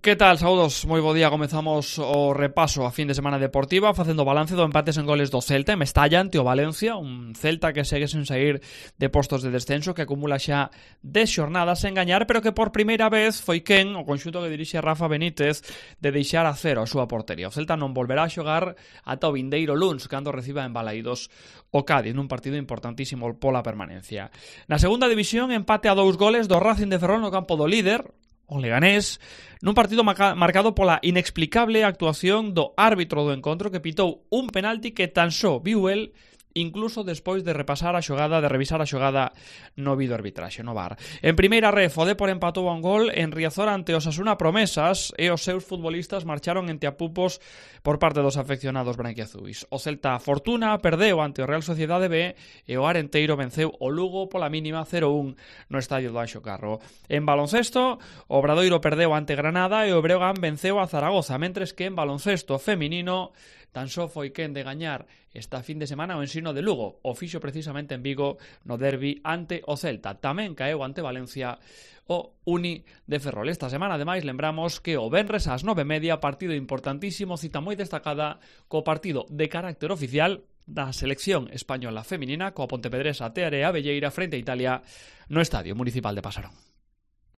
Que tal, saudos? Moi bo día, comezamos o repaso a fin de semana deportiva facendo balance do empates en goles do Celta en Mestalla ante o Valencia, un Celta que segue sen sair de postos de descenso, que acumula xa 10 xornadas sen gañar, pero que por primeira vez foi quen, o conxunto que dirixe Rafa Benítez, de deixar a cero a súa portería. O Celta non volverá a xogar ata o vindeiro luns, cando reciba en Balaídos o Cádiz, nun partido importantísimo pola permanencia. Na segunda división, empate a 2 goles do Racing de Ferrol no campo do líder, o Leganés, nun partido marcado pola inexplicable actuación do árbitro do encontro, que pitou un penalti que tan só viu el incluso despois de revisar a xogada no vídeo arbitraxe, no VAR. En primeira ref, o Depor empatou a un gol en Riazor ante os Osasuna Promesas e os seus futbolistas marcharon ente apupos por parte dos afeccionados branquiazuis. O Celta Fortuna perdeu ante o Real Sociedade B e o Arenteiro venceu o Lugo pola mínima 0-1 no estadio do Anxo Carro. En baloncesto, o Obradoiro perdeu ante Granada e o Breogán venceu a Zaragoza, mentres que en baloncesto feminino tan só foi quen de gañar esta fin de semana o Ensino de Lugo, o fixo precisamente en Vigo no derbi ante o Celta. Tamén caeu ante Valencia o Uni de Ferrol. Esta semana, ademais, lembramos que o venres ás 9:30, partido importantísimo, cita moi destacada co partido de carácter oficial da selección española feminina coa pontevedresa Teare Abelleira frente a Italia no Estadio Municipal de Pasarón.